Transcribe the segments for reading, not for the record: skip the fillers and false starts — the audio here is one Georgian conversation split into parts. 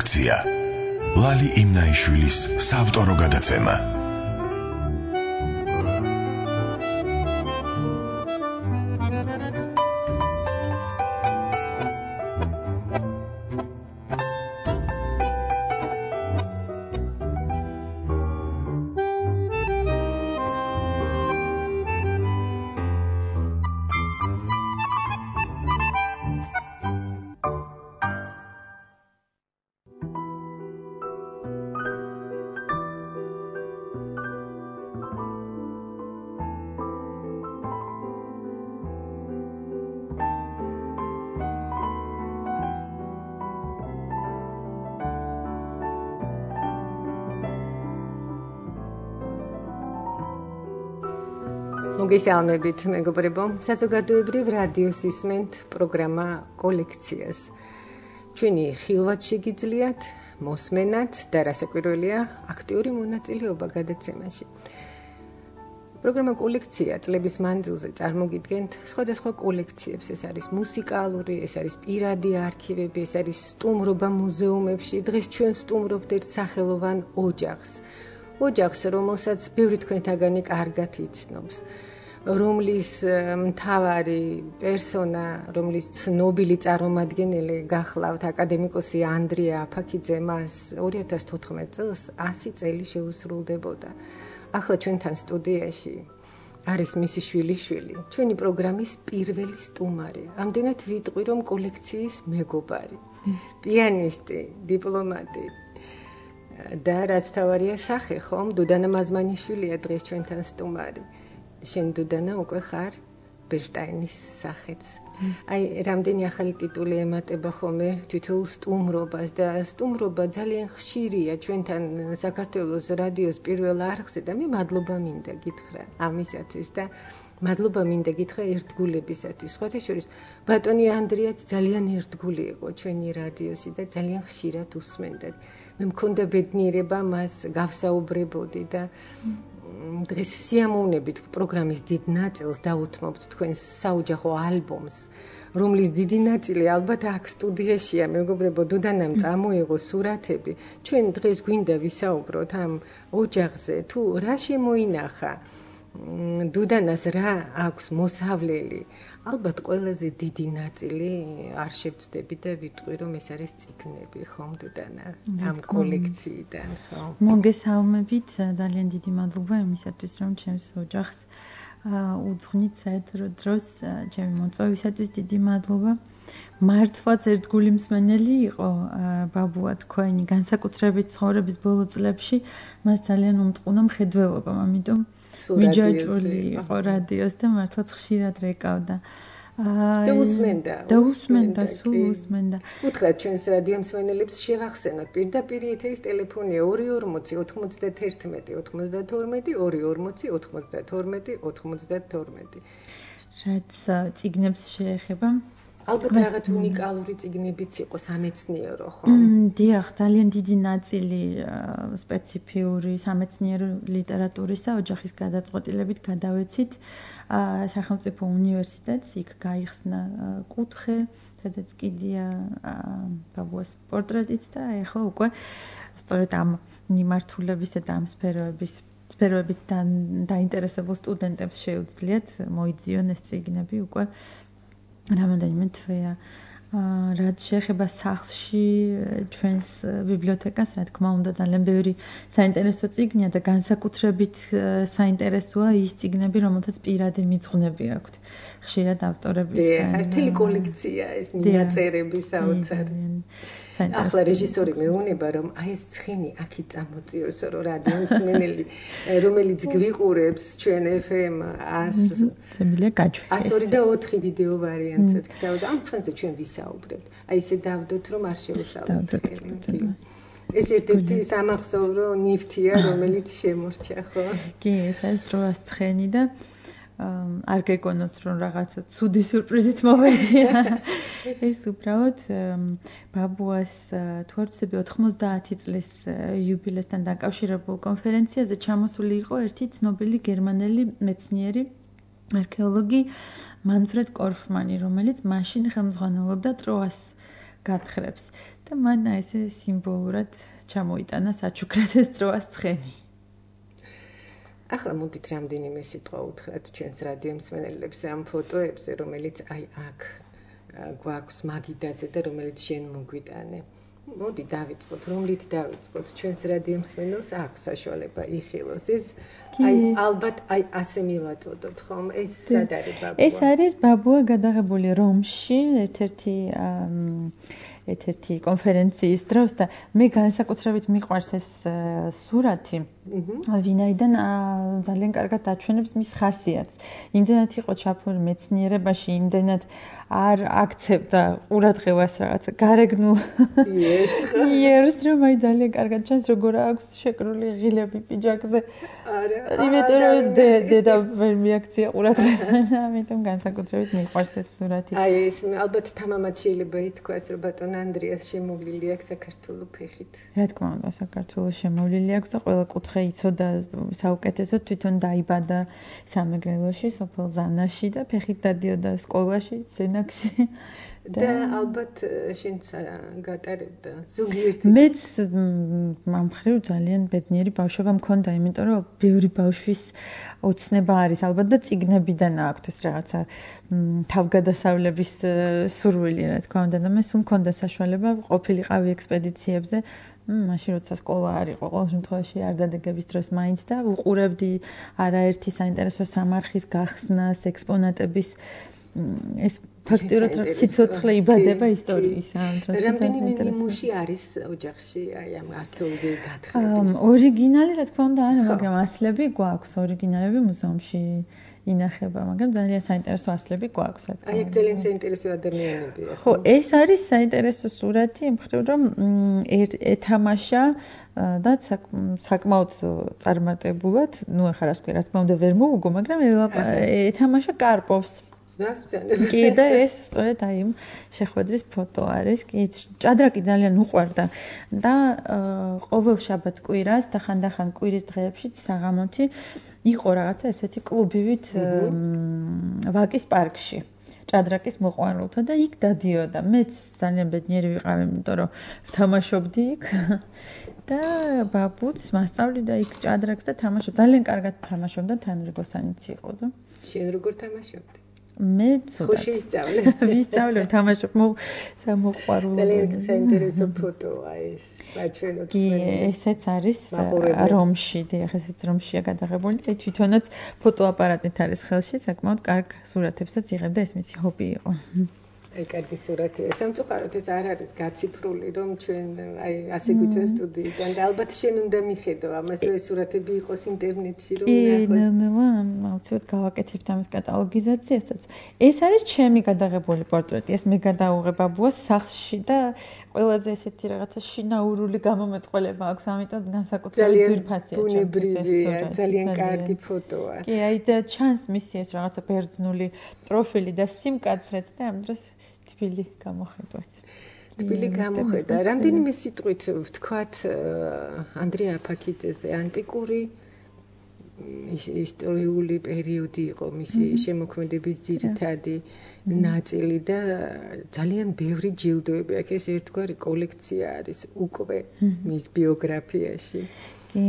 კოლექცია. ლალი იმნაიშვილის საავტორო გადაცემა. მოგესალმებით, მეგობრებო. საზოგადოებრივ რადიოს ისმენთ პროგრამა კოლექციას. ჩვენი ხილვად შეგიძლიათ მოსმენად და რასაკვირველია, აქტიური მონაწილეობა გადაცემაში. პროგრამა კოლექცია წლების მანძილზე წარმოგიდგენთ სხვადასხვა კოლექციებს. ეს არის მუსიკალური, ეს არის პირადი არქივები, ეს არის სტუმრობა მუზეუმებში. დღეს ჩვენ ვსტუმრობთ ერთ სახელოვან ოჯახს. ოჯახს, რომელსაც ბევრი თქვენთაგანი კარგად იცნობს. რომლის მთავარი პერსონა, რომლის ცნობილი წარმომადგენელი გახლავთ აკადემიკოსი ანდრია აფაქიძე, მას 2014 წელს 100 წელი შეუსრულდებოდა. ახლა ჩვენთან სტუდიაში არის მისი შვილიშვილი, ჩვენი პროგრამის პირველი სტუმარი. ამდენად ვიტყვი, რომ კოლექციის მეგობარი, პიანისტი, დიპლომატი და რაც თავარია სახე, ხომ? დუდანა მაზმანიშვილია დღეს ჩვენთან სტუმარი. შენ დუდანა უკვე ხარ ბერშტაინის სახეც. აი, რამდენი ახალი ტიტული ემატება ხოლმე თითოეულ სტუმრობას და სტუმრობა ძალიან ხშირია ჩვენთან საქართველოს რადიოს პირველ არხზე და მე მადლობა მინდა გითხრა ამისათვის და მადლობა მინდა გითხრა ერთგულებისათვის. სხვათა შორის ბატონი ანდრიაც ძალიან ერთგული იყო ჩვენი რადიოსი და ძალიან ხშირად უსმენდათ. მე მქონდა ბედნიერება მას გავსაუბრებოდი და დღეს სიამოვნებით პროგრამის დიდ ნაწილს დავუთმობთ თქვენს საოჯახო ალბომს, რომლის დიდი ნაწილი ალბათ აქ სტუდიაშია, მეგობრებო, დუდანამ წამოიღო სურათები. ჩვენ დღეს გვინდა ვისაუბროთ ამ ოჯახზე, თუ რა შემოინახა, დუდანას რა აქვს მოსავლელი. ალბათ ყველაზე დიდი ნაწილი არ შევწდები და ვიტყვი, რომ ეს არის წიგნები, ხომ დუდანა, ამ კოლექციიდან, ხო? მოგესალმებით, ძალიან დიდი მადლობა იმისათვის, რომ ჩემს ოჯახს უძღვნით საერთო დროს, ჩემი მოწვევისათვის დიდი მადლობა. მართლაც ერთგული მსმენელი იყო ბაბუა თქვენი, განსაკუთრებით ცხოვრების ბოლო წლებში, მას ძალიან უმტყუნა მხედველობა, ამიტომ მიჯაჭვული იყო რადიოს და მართლაც ხშირად რეკავდა. და უსმენდა. სულ უსმენდა. უთხრათ ჩვენს რადიო მსმენელებს შევახსენოთ პირდაპირ ეთერის ტელეფონია 240 91 92 240 92 92. რაც წიგნებს შეეხება. ალბათ რაღაც უნიკალური წიგნებიც იყო სამეცნიერო, ხო? დიახ, ძალიან დიდი ნაწილი სპეციფიური სამეცნიერო ლიტერატურისა ოჯახის გადაწყვეტილებით გადავეცით სახელმწიფო უნივერსიტეტს, იქ გაიხსნა კუთხე, სადაც კიდია ბაბუას პორტრეტიც და ეხლა უკვე სწორედ ამ მიმართულებისა და ამ სფეროებით დაინტერესებულ სტუდენტებს შეუძლიათ მოიძიონ ეს წიგნები უკვე რამოდენიმე თვეა. რაც შეეხება სახლში ჩვენს ბიბლიოთეკას, რა თქმა უნდა, ძალიან ბევრი საინტერესო წიგნია და განსაკუთრებით საინტერესოა ის წიგნები, რომელთაც პირადი მიძღვნები აქვთ. ხშირად ავტორებისგან. მთელი კოლექცია ეს მინაწერები საოცარ. ახლა რეჟისორი მეუბნება, რომ აი ეს ცხენი აქი წამოწიოსო, რომ რადიო მსმენელი, რომელიც გვიყურებს ჩვენ FM 102.4 ვიდეო ვარიანტსაც გთავაზობთ. ამ ცხენზე ჩვენ ვისაუბრებთ. აი ესე დავდოთ, რომ არ შევშალოთ. ეს ერთ-ერთი სამახსოვრო ნივთია, რომელიც შემორჩა, ხო? კი, ეს არის დროას ცხენი და არ გეკონოთ, რომ რაღაცა ცუდი სურპრიზით მოვედია. ეს უბრალოდ ბაბუას თვარცები 90 წლის იუბილესთან დაკავშირებულ კონფერენციაზე ჩამოსული იყო ერთი ცნობილი გერმანელი მეცნიერი არქეოლოგი მანფრედ კორფმანი, რომელიც მაშინ ხელმძღვანელობდა ტროას გათხრებს. და მან ესე სიმბოლურად ჩამოიტანა საჩუქრად ეს დროას ცხენი. ახლა მოდით რამდენიმე სიტყვა უთხრათ ჩვენს რადიო მსმენელებს ამ ფოტოებზე, რომელიც აი აქ გვაქვს მაგიდაზე და რომელიც შენ მოგვიტანე. მოდი დავიწყოთ, რომლით დავიწყოთ? ჩვენს რადიო მსმენელს აქვს საშუალება იხილოს. ეს აი ალბათ აი ასე მივაწოდოთ, ხომ? ეს სად არის ბაბუა? ეს არის ბაბუა გადაღებული რომში, ერთ-ერთი კონფერენციის დროს და მე განსაკუთრებით მიყვარს ეს სურათი. ვინაიდან ძალიან კარგად აჩვენებს მის ხასიათს. იმდენად იყო ჩაფლული მეცნიერებაში, იმდენად არ აქცევდა ყურადღებას რაღაცა გარეგნულ იერს, რომ აი ძალიან კარგად ჩანს, როგორ აქვს შეკრული ღილები პიჯაკზე. იმიტომ რომ დედა ვერ მიაქცია ყურადღებას, ამიტომ განსაკუთრებით მიყვარს ეს სურათი. აი ეს ალბათ თამამად შეიძლება ითქვას, რომ ბატონ ანდრიას შემოვლილი აქვს საქართველოს ფეხით. რა თქმა უნდა, საქართველოს შემოვლილი აქვს და ყველა კუთხე იცოდა საუკეთესოდ, თვითონ დაიბადა სამეგრელოში, სოფელ ზანაში და ფეხით დადიოდა სკოლაში, სენაკში. და ალბათ შენც გატარებდა ზოგიერთ. მეც მომხრივ ძალიან ბედნიერი ბავშვობა მქონდა, იმიტომ რომ ბევრი ბავშვის ოცნება არის ალბათ და წიგნებიდან აქვს ეს რაღაცა თავგადასავლების სურვილი, რა თქმა უნდა, და მე სულ მქონდა საშუალება ყოფილიყავი ექსპედიციებზე. მაშინ როცა სკოლა არ იყო, ყოველ შემთხვევაში არ დადეგების დროს მაინც და უყურებდი არაერთი საინტერესო სამარხის გახსნას, ექსპონატების ეს ფაქტიურად სიცოცხლე იბადება ისტორიის ამ დროს. რამდენიმე ნიმუში არის ოჯახში აი ამ არქეოლოგიური გათხრების? ორიგინალი რა თქმა უნდა არა, მაგრამ ასლები გვაქვს, ორიგინალები მუზეუმში ინახება, მაგრამ ძალიან საინტერესო ასლები გვაქვს, რა თქმა უნდა. აი ეგ ძალიან საინტერესო ადამიანებია. ხო, ეს არის საინტერესო სურათი, მხრივ რომ ეთამაშა და საკმაოდ წარმატებულად, ნუ ახლა რა თქვი, რა თქმა უნდა ვერ მოვუგო, მაგრამ ეთამაშა კარპოვს. კი და ეს სწორედ აი შეხვედრის ფოტო არის. კი, ჭადრაკი ძალიან უყვარდა და ყოველ შაბათ-კვირას და ხანდახან კვირის დღეებში საღამოთი იყო რაღაცა ესეთი კლუბივით ვაკის პარკში. ჭადრაკის მოყვარულთა და იქ დადიოდა. მეც ძალიან ბედნიერი ვიყავი, იმიტომ რომ თამაშობდი იქ და ბაბუც მასწავლიდა იქ ჭადრაკს და თამაშობდა. ძალიან კარგად თამაშობდა, თან რიგოსანიც იყო და. შენ როგორ თამაშობდი? მე ხო შეისწავლე. ვისწავლე თამაშობ მოყვარულობ. ძალიან საინტერესო ფოტოა ეს. აჩვენოთ კი, ესეც არის რომში, დიახ, ესეც რომშია გადაღებული. აი თვითონაც ფოტოაპარატით არის ხელში, საკმაოდ კარგ სურათებსაც იღებდა, ეს მისი ჰობი იყო. აი კარგი სურათია. სამწუხაროდ ეს არ არის გაციფრული, რომ ჩვენ აი ასე გვიწევს სტუდიიდან და ალბათ შენ უნდა მიხედო ამას, რომ ეს სურათები იყოს ინტერნეტში, რომ ნახოს. აუცილებლად გავაკეთებთ ამის კატალოგიზაციასაც. ეს არის ჩემი გადაღებული პორტრეტი. ეს მე გადაუღებ ბაბუას სახლში და ყველაზე ესეთი რაღაცა შინაურული გამომეტყველება აქვს, ამიტომ განსაკუთრებით ძვირფასია. ბუნებრივია, ძალიან კარგი ფოტოა. კი, აი და ჩანს მისი ეს რაღაცა ბერძნული პროფილი და სიმკაცრეც და ამ დროს თბილი გამოხედვაც. თბილი გამოხედა. რამდენიმე სიტყვით ვთქვათ ანდრია აფაქიძეზე ანტიკური ისტორიული პერიოდი იყო მისი შემოქმედების ძირითადი ნაწილი და ძალიან ბევრი ჯილდოები აქვს. ეს ერთგვარი კოლექცია არის უკვე მის ბიოგრაფიაში. კი,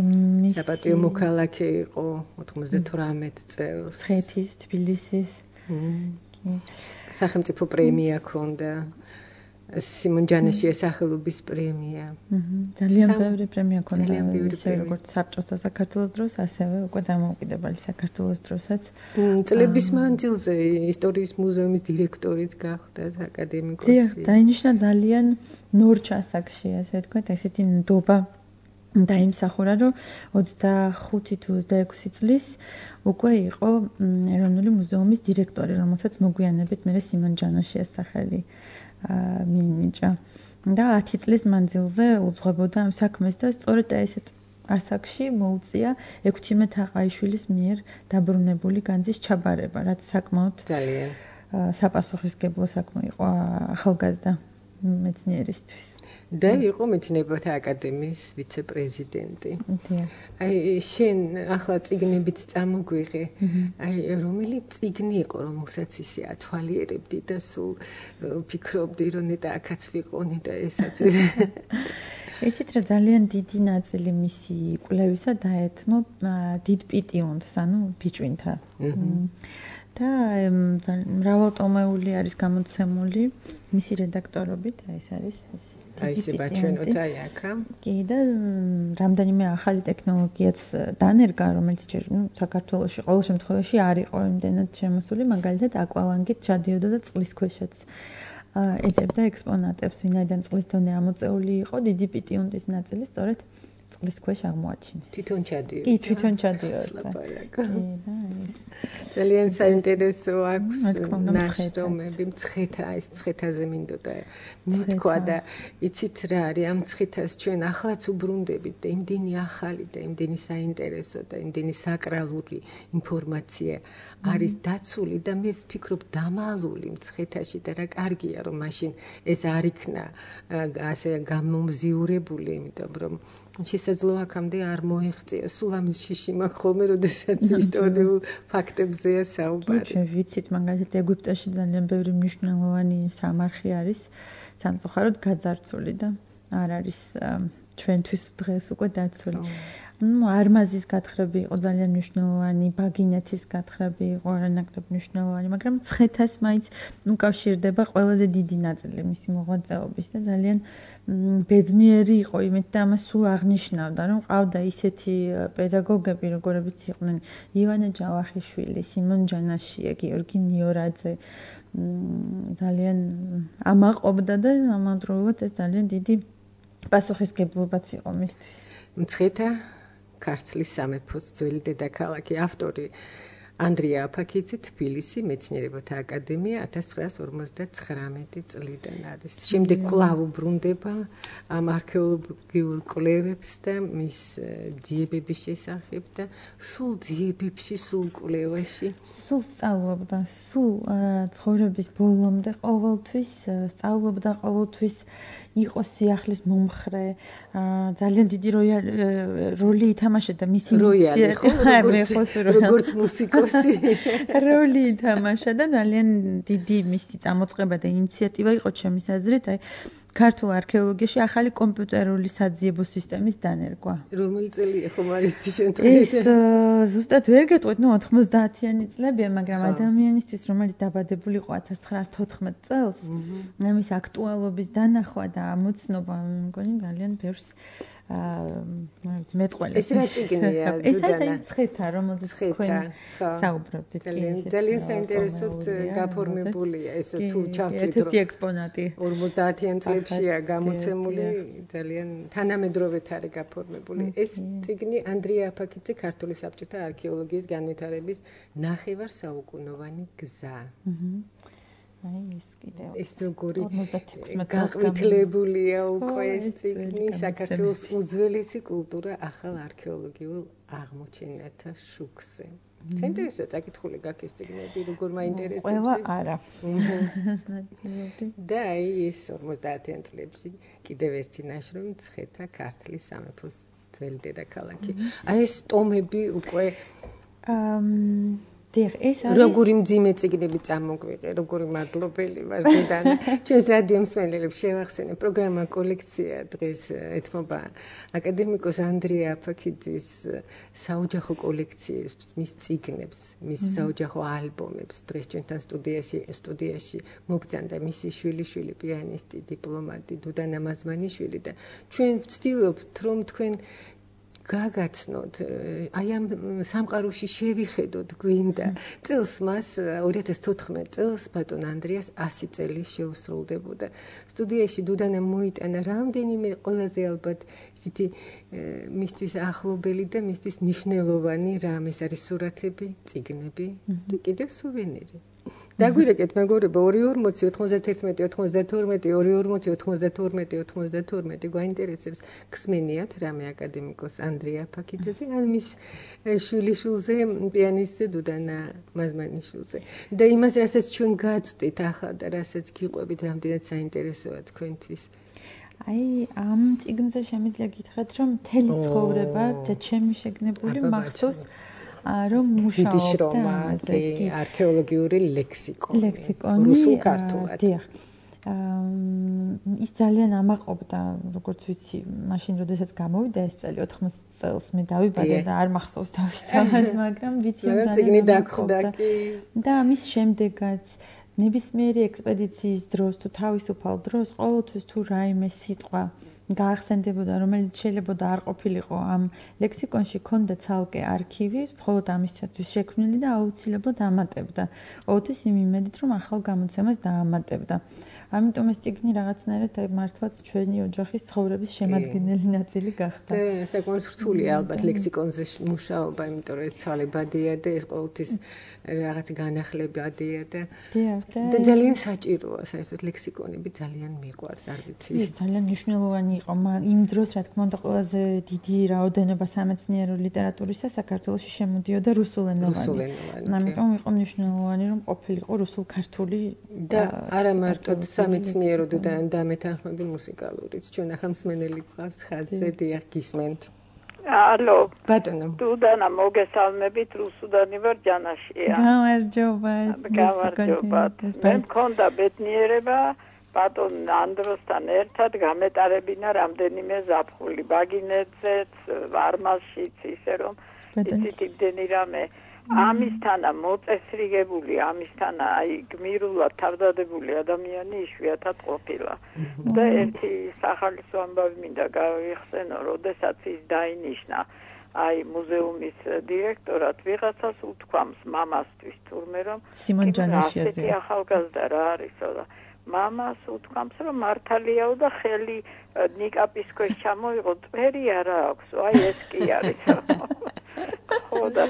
საპატიო მოქალაქე იყო 98 წელს. ხეთის, თბილისის. კი. სახელმწიფო პრემია ჰქონდა. სიმონ ჯანაშიას სახელობის პრემია. ძალიან ბევრი პრემია ჰქონდა, ისე როგორც საბჭოთა საქართველოს დროს, ასევე უკვე დამოუკიდებელი საქართველოს დროსაც. წლების მანძილზე ისტორიის მუზეუმის დირექტორიც გახდა აკადემიკოსი. დიახ, დაინიშნა ძალიან ნორჩ ასაკში, ასე ვთქვათ, ესეთი ნდობა დაიმსახურა, რომ 25 თუ 26 წლის უკვე იყო ეროვნული მუზეუმის დირექტორი, რომელსაც მოგვიანებით მე სიმონ ჯანაშიას სახელი მიენიჭა. და 10 წლის მანძილზე უძღვებოდა ამ საქმეს და სწორედ ესეთ ასაკში მოუწია ექვთიმე თაყაიშვილის მიერ დაბრუნებული განძის ჩაბარება, რაც საკმაოდ ძალიან საპასუხისმგებლო საქმე იყო ახალგაზრდა მეცნიერისთვის. და იყო მეცნიერებათა აკადემიის ვიცე-პრეზიდენტი. აი შენ ახლა წიგნებიც წამოგვიღე. აი რომელი წიგნი იყო, რომელსაც ისე ათვალიერებდი და სულ ფიქრობდი, რომ ნეტა აქაც ვიყონი და ესაც. იცით რა ძალიან დიდი ნაწილი მისი კვლევისა დაეთმო დიდ პიტიონს, ანუ ბიჭვინთა. და მრავალტომეული არის გამოცემული მისი რედაქტორობით, აი ეს არის აი ესე ბაჩვენოთ აი აქა. კი და რამდენიმე ახალი ტექნოლოგიაც დანერგა, რომელიც ჯერ საქართველოში ყოველ შემთხვევაში არ იყო იმდენად შემოსული, მაგალითად აკვალანგით ჩადიოდა და წყლის ქვეშაც ეძებდა ექსპონატებს, ვინაიდან წყლის დონე ამოწეული იყო, დიდი პიტიუნტის ნაწილი სწორედ წყლის ქვეშ აღმოაჩინეს. თვითონ ჩადიოდა. კი, თვითონ ჩადიოდა. ძალიან საინტერესო აქვს ნაშრომები, მცხეთა, ეს მცხეთაზე მინდოდა მithქვა და იცით რა არის ამ მცხეთას ჩვენ ახლაც უბრუნდებით და იმდენი ახალი და იმდენი საინტერესო და იმდენი საკრალური ინფორმაცია არის დაცული და მე ვფიქრობ დამალული მცხეთაში და რა კარგია რომ მაშინ ეს არ იქნა ასე გამომზიურებული, იმიტომ რომ შესაძლოა აქამდე არ მოეღწია. სულ ამის შიში მაქვს ხოლმე, როდესაც ისტორიულ ფაქტებზეა საუბარი. ჩვენ ვიცით, მაგალითად ეგვიპტეში ძალიან ბევრი მნიშვნელოვანი სამარხი არის სამწუხაროდ გაძარცული და არ არის ჩვენთვის დღეს უკვე დაცული. არმაზის გათხრები იყო ძალიან მნიშვნელოვანი, ბაგინეთის გათხრები იყო არანაკლებ მნიშვნელოვანი, მაგრამ მცხეთას მაინც უკავშირდება ყველაზე დიდი ნაწილი მისი მოღვაწეობის და ძალიან ბედნიერი იყო იმით და ამას სულ აღნიშნავდა, რომ ყავდა ისეთი პედაგოგები, როგორებიც იყვნენ ივანე ჯავახიშვილი, სიმონ ჯანაშია, გიორგი ნიორაძე, ძალიან ამაყობდა და ამავდროულად ეს ძალიან დიდი პასუხისგებლობაც იყო მისთვის. მცხეთა ქართლის სამეფოს ძველი დედაქალაქი, ავტორი ანდრია აფაქიძე, თბილისი, მეცნიერებათა აკადემია 1959 წლიდან არის. შემდეგ კვლავ უბრუნდება ამ არქეოლოგიურ კვლევებს და მის ძიებების შესახებ და სულ ძიებებში, სულ კვლევაში, სულ სწავლობდა, სულ ცხოვრების ბოლომდე ყოველთვის სწავლობდა, ყოველთვის იყო სიახლის მომხრე, ძალიან დიდი როლი ითამაშა მისი როგორც მუსიკოსი როლი ითამაშა და ძალიან დიდი მისი წამოწყება და ინიციატივა იყო ჩემის აზრით, აი ქართულ არქეოლოგიაში ახალი კომპიუტერული საძიებო სისტემის დანერგვა. რომელი წელია ხომ არის შემთხვევაში? ეს ზუსტად ვერ გეტყვით, 90-იანი წლებია, მაგრამ ადამიანისთვის, რომელიც დაბადებული იყო 1914 წელს, ამის აქტუალობის დანახვა და ამოცნობა, მგონი ძალიან ბევრს მეტყველებს. ეს რა წიგნია? ეს არის მცხეთა, რომელზეც თქვენ საუბრობთ. ძალიან საინტერესოდ გაფორმებულია ეს თუ ჩავთვლით, რომ ერთ-ერთი ექსპონატი 50-იან წლებშია გამოცემული, ძალიან თანამედროვედ არის გაფორმებული. ეს წიგნი ანდრია აფაქიძე ქართული საბჭოთა არქეოლოგიის განვითარების ნახევარსაუკუნოვანი გზა. აი ეს კიდევ ეს როგორი გაყვითლებულია უკვე ეს წიგნი საქართველოს უძველესი კულტურა ახალ არქეოლოგიურ აღმოჩენათა შუქზე. საინტერესოა წაკითხული გაქვს ეს წიგნები, როგორ მაინტერესებს. ყველა არა. და აი ეს 50-იან წლებში კიდევ ერთი ნაშრომი მცხეთა ქართლის სამეფოს ძველი დედაქალაქი. აი ეს ტომები უკვე როგორი მძიმე წიგნები წამოგვიღე, როგორი მადლობელი ვარ დედანა. ჩვენს რადიო მსმენელებს შევახსენებ, პროგრამა კოლექცია დღეს ეთმობა აკადემიკოს ანდრია აფაქიძის საოჯახო კოლექციებს, მის წიგნებს, მის საოჯახო ალბომებს. დღეს ჩვენთან სტუდიაში მოგწანდა მისი შვილიშვილი, პიანისტი, დიპლომატი დუდანა მაზმანიშვილი და ჩვენ ვცდილობთ, რომ თქვენ გაგაცნოთ, აი ამ სამყაროში შევიხედოთ გვინდა. წელს მას 2014 წელს ბატონ ანდრიას 100 წელი შეუსრულდებოდა. სტუდიაში დუდანა მოიტანა რამდენიმე ყველაზე ალბათ ისეთი მისთვის ახლობელი და მისთვის მნიშვნელოვანი რამ, ეს არის სურათები, წიგნები და კიდევ სუვენირი. დაგვირეკეთ მეგობრებო 240-91-92-240-92-92 გვაინტერესებს გსმენიათ რამე აკადემიკოს ანდრია აფაქიძეზე ან მის შვილიშვილზე პიანისტზე დუდანა მაზმანიშვილზე და იმას რასაც ჩვენ გაწვდით ახლა და რასაც გიყვებით რამდენად საინტერესოა თქვენთვის. აი ამ წიგნზე შემიძლია გითხრათ რომ მთელი ცხოვრება და ჩემი შეგნებული მახსოვს რომ მუშაობდა ამაზე არქეოლოგიური ლექსიკონი რუსულ ქართულად დიახ ის ძალიან ამაყობდა როგორც ვიცი მაშინ როდესაც გამოვიდა ეს წელი 80 წელს მე დავიბადე და არ მახსოვს თავისთავად მაგრამ ვიცი რომ ძალიან დაგხვდა და ამის შემდეგაც ნებისმიერი ექსპედიციის დროს თუ თავისუფალ დროს ყოველთვის თუ რაიმე სიტყვა გაახსენდებოდა რომელიც შეიძლება არ ყოფილიყო ამ ლექსიკონში ქონდა ცალკე არქივი მხოლოდ ამისათვის შექმნილი და აუცილებლად ამატებდა ყოველთვის იმ იმედით რომ ახალ გამოცემას დაამატებდა ამიტომ ეს წიგნი რაღაცნაირად მართლაც ჩვენი ოჯახის ცხოვრების შემადგენელი ნაწილი გახდა. და საკმაოდ რთულია ალბათ ლექსიკონზე მუშაობა, იმიტომ რომ ეს ცვალებადია და ეს ყოველთვის რაღაც განახლებადია და ძალიან საჭიროა, საერთოდ ლექსიკონები ძალიან მიყვარს, არ ვიცი. ის ძალიან მნიშვნელოვანი იყო, იმ დროს რა თქმა უნდა ყველაზე დიდი რაოდენობა სამეცნიერო ლიტერატურისა საქართველოში შემოდიოდა რუსულენოვანი. ამიტომ იყო მნიშვნელოვანი რომ ყოფილიყო რუსულ-ქართული და არა მარტო სამეცნიერო და მეთანხმები მუსიკალურიც. ჩვენ ახლა მსმენელი გვყავს ხაზზე, დიახ, გისმენთ. ალო. ბატონო. დუდანა მოგესალმებით, რუსუდანი ვარ ჯანაშია. გამარჯობა. გამარჯობა. მე მქონდა ბედნიერება ბატონ ანდროსთან ერთად გამეტარებინა რამდენიმე ზაფხული ბაგინეთზეც, ვარმაშიც, ისე რომ იცით იმდენი რამე ამისთანა მოწესრიგებული, ამისთანა აი გმირულად თავდადებული ადამიანი იშვიათად ყოფილა. და ერთი სახალისო ამბავი მინდა გავიხსენო, როდესაც ის დაინიშნა აი მუზეუმის დირექტორად ვიღაცას უთქვამს მამასთვის თურმე რომ სიმონ ჯანაშიაზე ახალგაზრდა რა არისო და მამას უთქვამს რომ მართალიაო და ხელი ნიკაპის ქვეშ ჩამოიღო წვერი არა აქვს აი ეს კი არის ხოდა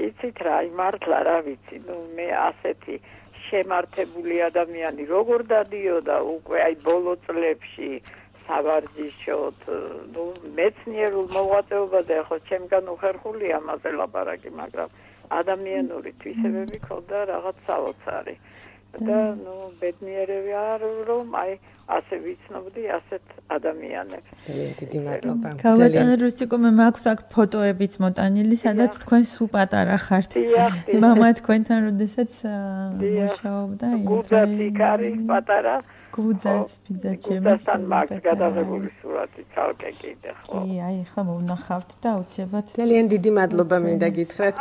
იცით რა მართლა რა ვიცი ნუ მე ასეთი შემართებული ადამიანი როგორ დადიოდა უკვე აი ბოლო წლებში საბარჯიშოდ ნუ მეცნიერულ მოღვაწეობაზე ხო ჩემგან უხერხული ამაზე ლაპარაკი მაგრამ ადამიანური თვისებები ქონდა რაღაც საოცარი და ნუ ბედნიერები არ რომ აი ასე ვიცნობდი ასეთ ადამიანებს. დიდი მადლობა. ქალბატონო რუსიკო მე მაქვს აქ ფოტოებიც მოტანილი, სადაც თქვენ სულ პატარა ხართ. მამა თქვენთან როდესაც მუშაობდა, გუძაც იქ არის პატარა. გუძაც ბიძა ჩემი. გუძასთან მაქვს გადაღებული სურათი ცალკე კიდე ხო. აი ხა მოვნახავთ და აუცილებლად. ძალიან დიდი მადლობა მინდა გითხრათ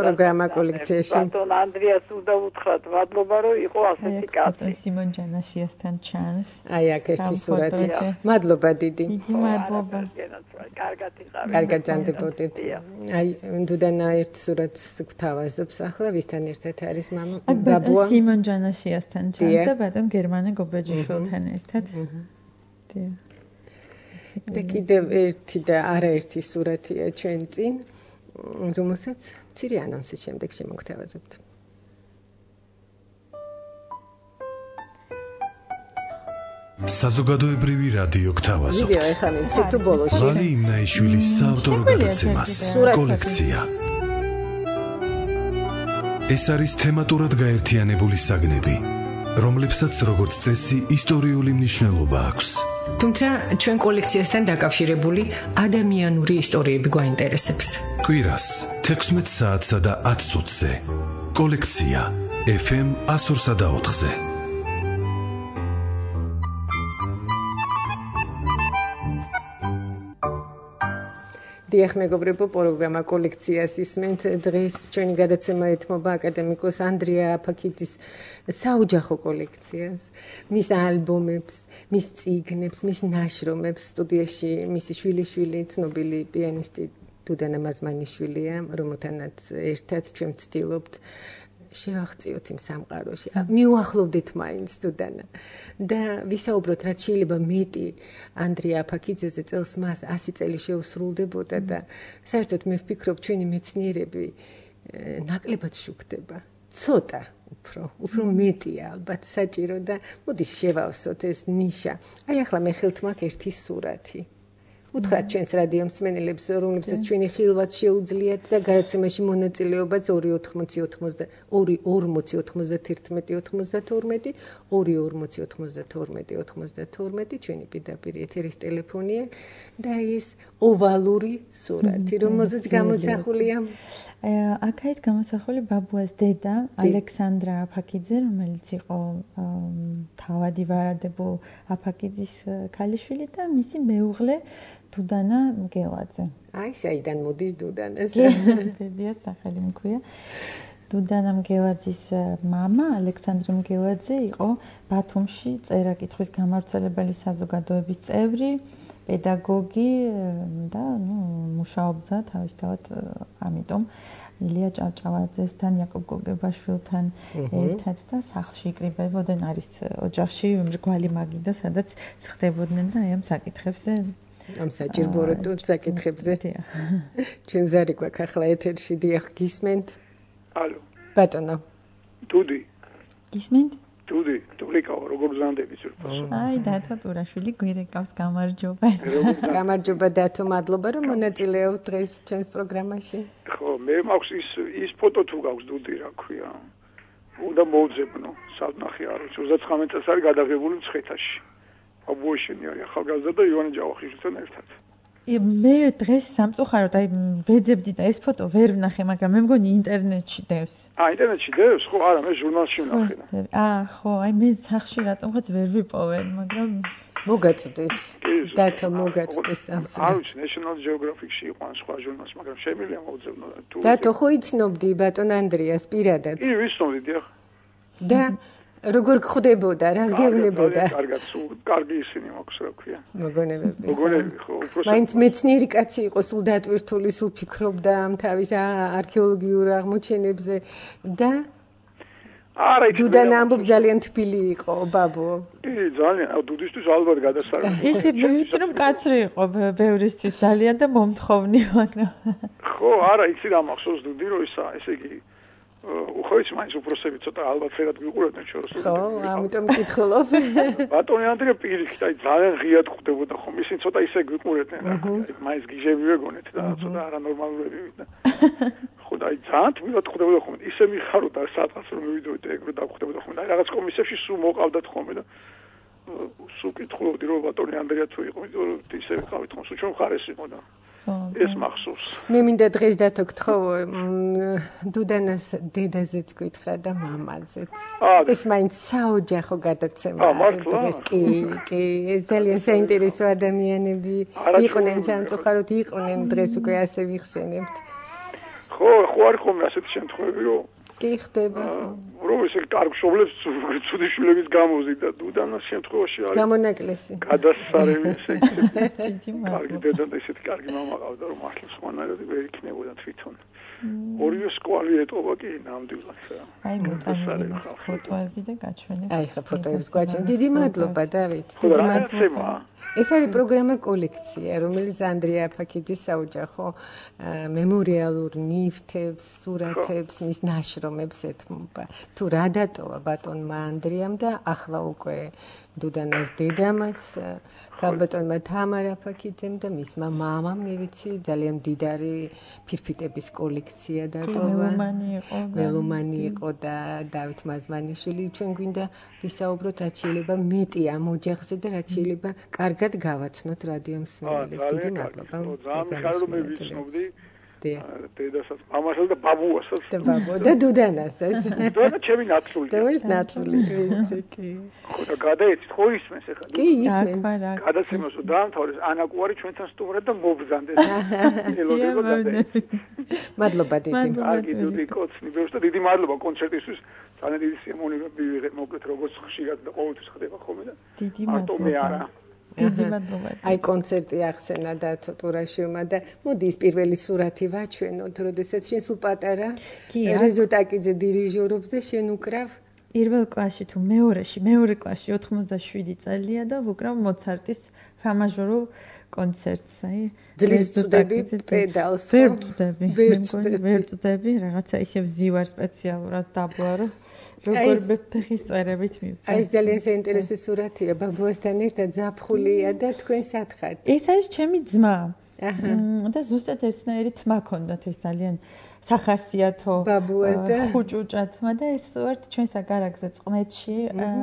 პროგრამა კოლექციაში. ბატონ ანდრიას უნდა უთხრათ მადლობა რომ იყო ასეთი კაცი. სიმონ ჯანაშიასთან ჩანს. აი აქ ერთი სურათი. მადლობა დიდი. მადლობა. კარგად ჯანდებოდეთ. აი დუდანა ერთ სურათს გვთავაზობს ახლა ვისთან ერთად არის მამა ბაბუა. სიმონ ჯანაშიასთან ჩანს და ბატონ გერმანე გობეჯიშვილთან ერთად. და კიდევ ერთი და არაერთი სურათია ჩვენ წინ, რომელსაც მცირე ანონსის შემდეგ შემოგთავაზებთ. საზოგადოებრივი რადიო გთავაზობთ. ვიდეო ეხლა მივცით თუ ბოლოში. ლალი იმნაიშვილის საავტორო გადაცემას კოლექცია. ეს არის თემატურად გაერთიანებული საგნები, რომლებსაც როგორც წესი ისტორიული მნიშვნელობა აქვს. თუმცა ჩვენ კოლექციასთან დაკავშირებული ადამიანური ისტორიები გვაინტერესებს. კვირას 16 საათსა და 10 წუთზე. კოლექცია FM 102.4-ზე. დიახ მეგობრებო, პროგრამა კოლექციას ისმენთ. დღეს ჩვენი გადაცემა ეთმობა აკადემიკოს ანდრია აფაქიძის საოჯახო კოლექციას, მის ალბომებს, მის წიგნებს, მის ნაშრომებს. სტუდიაში მისი შვილიშვილი, ცნობილი პიანისტი დუდანა მაზმანიშვილია, რომელთანაც ერთად ჩვენ ვცდილობთ შევახციოთ იმ სამყაროში. მიუახლოვდეთ მაინც დუდანა. და ვისაუბროთ, რაც შეიძლება მეტი ანდრია აფაქიძეზე, წელს მას 100 წელი შეუსრულდებოდა და საერთოდ მე ვფიქრობ, ჩვენი მეცნიერები ნაკლებად შუქდება. ცოტა უფრო მეტია ალბათ საჭირო და მოდი შევავსოთ ეს ნიშა. აი ახლა მე ხელთ მაქვს ერთი სურათი. უთხრათ ჩვენს რადიო მსმენელებს, რომლებსაც ჩვენი ხილვაც შეუძლიათ და გადაცემაში მონაწილეობაც 240-90-92-92 ჩვენი პირდაპირ ეთერის ტელეფონია და ის ოვალური სურათი, რომელზეც გამოსახულია აქეთ გამოსახული ბაბუას დედა ალექსანდრა აფაკიძე, რომელიც იყო თავადი ვარადებულ აფაკიძის ქალიშვილი და მისი მეუღლე დუდანა მგელაძე. აი, საიდან მოდის დუდანას? ბებიას სახელი მქვია. დუდანა მგელაძის მამა ალექსანდრა მგელაძე იყო ბათუმში წერა-კითხვის გამავრცელებელი საზოგადოების წევრი, პედაგოგი და მუშაობდა თავისთავად ამიტომ ილია ჭავჭავაძესთან, იაკობ გოგებაშვილთან ერთად და სახლში იკრიბებოდნენ, არის ოჯახში მრგვალი მაგიდა, სადაც ხდებოდნენ და აი ამ საკითხებზე ამ საჭიროებო საკითხებზე. ჩვენ ზარი გვაქვს ახლა ეთერში, დიახ, გისმენთ? ალო. ბატონო. დუდი. გისმენთ? დუდი, თურიკაო, როგორ ზანდები ზურფოს? აი, დათო ტურაშვილი გვირეკავს, გამარჯობა. გამარჯობა დათო, მადლობა რომ მონაწილეობთ დღეს ჩვენს პროგრამაში. ხო, მე მაქვს ის ფოტო თუ გაქვს დუდი, რა ქვია. უნდა მოვძებნო, სანახი არ ვიცი, 39 წელს არის გადაღებული მცხეთაში. აბუოშენი არის ახალგაზრდა და ივანე ჯავახიშვილთან ერთად. მე დღეს სამწუხაროდ აი ვეძებდი და ეს ფოტო ვერ ვნახე, მაგრამ მე მგონი ინტერნეტში დევს. ინტერნეტში დევს? ხო, არა, მე ჟურნალში ვნახე. ხო, აი მე სახში რატომღაც ვერ ვიპოვენ, მაგრამ მოგაწვდეს. დათო მოგაწვდეს ამ არ ვიცი, National Geographic-ში იყო ან სხვა ჟურნალში, მაგრამ შემიძლია მოვძებნო თუ დათო ხო იცნობდი ბატონ ანდრიას პირადად? კი, ვიცნობდი, დიახ. და როგორ გხვდებოდა, რას გეუბნებოდა? კარგად, კარგი ისინი მაქვს, რა ქვია. მოგონებები. მოგონები, ხო, უბრალოდ. მაინც მეცნიერი კაცი იყო, სულ დატვირთული, სულ ფიქრობდა ამ თავის არქეოლოგიურ აღმოჩენებზე და არა, ის დუდანა ამბობს ძალიან თბილი იყო, ბაბო. კი, ძალიან, დუდისთვის ალბათ გადასარევი. ესე ვიცი რომ კაცრი იყო ბევრისთვის ძალიან და მომთხოვნი, მაგრამ ხო, არა, იცი რა მახსოვს დუდი რომ ისა, ესე იგი უხოიც მაინც უბრალოდ ცოტა ალბათ ფერად გიყურებდნენ შორს. ხო, ამიტომ მკითხულობ. ბატონი ანდრია პირიქით, აი ძალიან ღიად ხვდებოდა ხომ, ისინი ცოტა ისე გიყურებდნენ რა. მაინც გიჟები ვეგონეთ და ცოტა არანორმალურები ვიდნენ. ხო, აი ძალიან თმილად ხვდებოდა ხომ, ისე მიხაროდა სადღაც რომ მივიდოდი ეგ რომ დავხვდებოდა ხომ, აი რაღაც კომისებში სულ მოყავდათ ხომ და სულ კითხულობდი რომ ბატონი ანდრია თუ იყო, იმიტომ რომ ისე ვიყავით ხომ, სულ ჩვენ ხარეს იყო და ეს მახსოვს. მე მინდა დღეს დათო გთხოვ დუდანას დედაზეც გითხრა და მამაზეც. ეს მაინც საოჯახო გადაცემაა დღეს. კი, ეს ძალიან საინტერესო ადამიანები იყვნენ, სამწუხაროდ იყვნენ, დღეს უკვე ასე ვიხსენებთ. ხო, არ ხომ ასეთი შემთხვევები რომ კი ხდება. რომ ესე კარგ მშობლებს ცუდი შვილების გამოზიდ და დუდანას შემთხვევაში არის გამონაკლისი. გადასარევი ესე კარგი დედა და ესეთი კარგი მამა ყავდა რომ მართლა სხვანაირად ვერ იქნებოდა თვითონ. ორივე სკოლი ეტყობა კი ნამდვილად. აი მოწამე ფოტოები და გაჩვენებ. აი ხა ფოტოებს გაჩვენებ. დიდი მადლობა დავით. დიდი მადლობა. ეს არის პროგრამა კოლექცია, რომელიც ანდრია აფაკიძის საოჯახო მემორიალურ ნივთებს, სურათებს, მის ნაშრომებს ეთმობა. თუ რა დატოვა ბატონმა ანდრიამ და ახლა უკვე დუდანას დედამაც, ქალბატონმა თამარ აფაკიძემ და მისმა მამამ, მე ვიცი, ძალიან მდიდარი ფირფიტების კოლექცია დატოვა. მელომანი იყო და დავით მაზმანიშვილი. ჩვენ გვინდა ვისაუბროთ, რაც შეიძლება მეტი ამ ოჯახზე და რაც შეიძლება კარგად გავაცნოთ რადიო მსმენელებს. დიდი მადლობა. ძალიან მიხარია რომ მე ვიცნობდი დედასაც, მამასაც და ბაბუასაც. და ბაბუა და დუდანასაც. დუდა ჩემი ნათლული. დუდის ნათლული, ვიცი, კი. ხო და გადაეცით, ხო ისმენს ახლა. კი, ისმენს. გადაცემას დაამთავრეს, ანა კუარი ჩვენთან სტუმრად და მობრძანდეს. ელოდება გადაეცით. მადლობა დიდი. კარგი დუდი კოცნი, ბევრს და დიდი მადლობა კონცერტისთვის. ძალიან დიდი სიამოვნებები ვიღეთ, მოკლედ როგორც ხშირად და ყოველთვის ხდება ხოლმე და დიდი მადლობა. დიდი მადლობა. აი კონცერტი ახსენა დათო ტურაშვილმა და მოდი ის პირველი სურათი ვაჩვენოთ, როდესაც შენ სულ პატარა რეზო ტაკიძე დირიჟორობს და შენ უკრავ პირველ კლასში თუ მეორე კლასში 87 წელია და ვუკრავ მოცარტის ფამაჟორულ კონცერტს, აი ძლივს წვდები პედალს. ვერ წვდები, რაღაცა ისე ვზივარ სპეციალურად დაბლა რომ როგორ ფეხის წვერებით მივწევ. აი ძალიან საინტერესო სურათია, ბაბუასთან ერთად ზაფხულია და თქვენ სათხართ. ეს არის ჩემი ძმა. და ზუსტად ერთნაირი თმა ქონდათ, ეს ძალიან სახასიათო ბაბუას და ხუჭუჭა თმა და ეს ვართ ჩვენ საგარაგზე წყნეთში